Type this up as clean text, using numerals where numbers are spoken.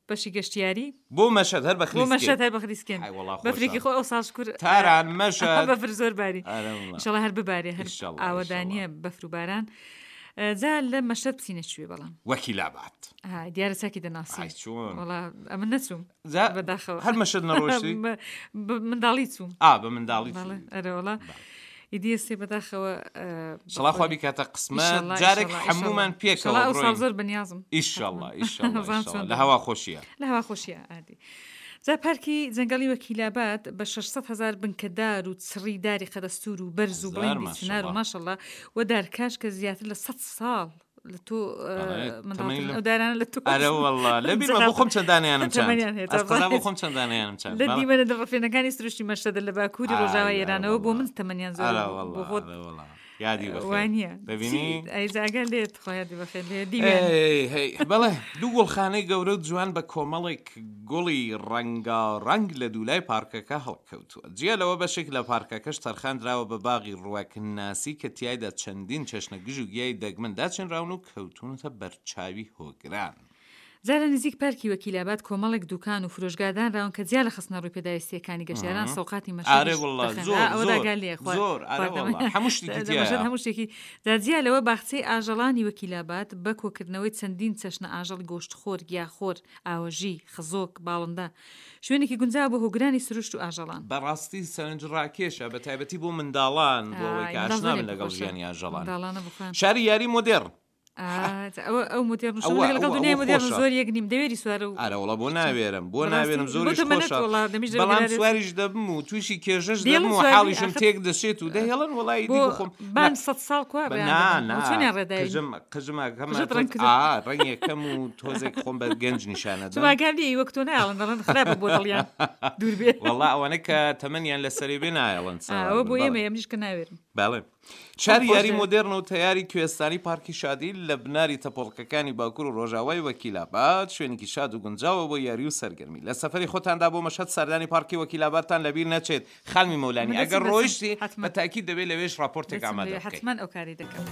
بەشی گەشتیاری بۆ مەشهەد هەر بە بۆ مەشهەد هەر بە خلیسکێن ئەی وەڵا خۆشە. بەفرێکی خۆ ئەو ساڵ شکر تاران مەشهەد بەفر زۆر باری ئەرێ وەڵا. ئیشەڵا هەر ببارێ هەر ئیشەڵا، ئاوەدانیە ئیشەڵا. بەفر و باران جا لە مەشهەد بچینە کوێ بەڵام وەکیلاباد ها دیارە چاکی دەناسی ئای چۆن وەڵا ئەمن نەچووم جا بەداخەوە هەر مەشهەد نەڕۆشتی بە بە منداڵی چووم ئا بە منداڵی بەڵێ چووی. ئەرێ وەڵا ئیدی ئێستێ بەداخەوە ئیشەڵا خوا بیکاتە قسمەت جارێک هەموومان پێکەوە ئەو ساڵ زۆر بەنیازم ئیشەڵا ئیشەڵا ئیشەڵا لە هەوا خۆشیە لە هەوا خۆشیە ئادی جا پارکی جەنگەڵی وەکیلاباد بە 600 هزار بنکەدار و چڕی داری قەدەستور و بەرز و بڵندی چنار و ماشەڵا و دارکاش کە زیاتر لە 100 ساڵ لە تۆ ئەو دارانە لە تۆ ئەرە والله لە بیرمە بۆ خۆم چەند دانەیانم چاند ئەز قەزا بۆ خۆم چەند دانەیانم چاند لە دیمەنە دڵڕفێنەکانی سروشتی مەشهەدە لە باکووری ڕۆژاوای ئێرانەوە بۆ من تەمەنیان زۆر بۆ خۆت یادی بەخێر وانە دەبینی ئەی جاگە لێت خۆ یادی بەخێر لێ دیوێن هەی بەڵێ دوو گوڵخانەی گەورە و جوان بە کۆمەڵێک گوڵی ڕەنگاڕەنگ لە دوولای پارکەکە هەڵکەوتووە. جیا لەوە بەشێک لە پارکەکەش تەرخان دراوە بە باغی ڕوەکناسی کە تیایدا چەندین چەشنە گژ و گیای دەگمەن داچێنراون و کەوتوونەتە بەرچاوی هۆگران. جا لە نزیک پارکی وەکیلاباد کۆمەڵێک دوکان و فرۆشگا دانراون کە جیا لە خستنەڕووی پێداویستییەکانی گەشتیاران سۆقاتی ئارێ مەشهەدیش وەڵا دەخەن. زۆر ئا ئەوە زۆر داگا لێیە خوا زۆر ئارێ خواردەمە وەڵا هەموو شتێکی لە مەشهەد تیایە. هەموو شتێکی جا جیا لەوە باخچەی ئاژەڵانی وەکیلاباد بە کۆکردنەوەی چەندین چەشنە ئاژەڵی گۆشتخۆر، گیاخۆر، ئاوەژی، خزۆک، باڵندە، شوێنێکی گونجاوە بۆ هۆگرانی سروشت و ئاژەڵان. بەڕاستی سەرنجڕاکێشە بەتایبەتی بۆ منداڵان بۆ ئەوەی ئای کە منداڵ ئاشنا زۆریان بن پێ لەگەڵ خۆشە ژیانی ئاژەڵان. منداڵانە بۆ خۆیان. شاری یاری مۆدێڕن. ئا جا ئەوە ئەو مۆدێرن و شەو ئەوە لەگەڵ ئەوە دنیای ئەوە مۆدێرن خۆشە. زۆر یەک نیم دەوێری سوارە و ئەرەوەڵا بۆ ناوێرم بۆ بەڕاستی ناوێرم بۆ زۆریش تەمەنت خۆشە وەڵا دەمیش بەڵام دەوێرێت. سواریش دەبم و تووشی کێشەش دێڵن دەبم و سوار بی حاڵیشم ئاخر تێک دەچێت و دەهێڵن وەڵا ئیدی بۆ بۆ خۆم بان نا سەد ساڵ کوا بە ڕێیان نا دەبن نا بۆ چۆنیان ڕێداین قژم قژم ئەکەم قژت ڕەنگ کردە ئا ڕەنگێکەم و تۆزێک خۆم بە گەنج نیشانەدەم چما گار لێی وەک تۆ نایەڵن دەڵێن خراپە بۆ دڵیان دوور بێ وەڵا ئەوانە کە تەمەنیان لەسەرێ بێ نایەڵن ئا سوار ئەوە بن بۆ بەڵێ ئێمەیە منیش کە ناوێرم بەڵێ خۆم شاری خۆش یاری دەوێ. مۆدێرن و تەیاری کوێستانی پارکی شادی لە بناری تەپۆڵکەکانی باکوور و ڕۆژاوای وەکیلاباد شوێنێکی شاد و گونجاوە بۆ یاری و سەرگەرمی. لە سەفەری خۆتاندا بۆ مەشهەد سەردانی پارکی وەکیلابادتان لەبیر نەچێت. خانمی مەولانی من ئەگەر دەچم دەچم ڕۆیشتی بە حەتمەن تاکید دەبێ لەوێش ڕاپۆرتێک دەچم ئامادە لەوێ بکەی. حەتمەن ئەو کارەی دەکەم.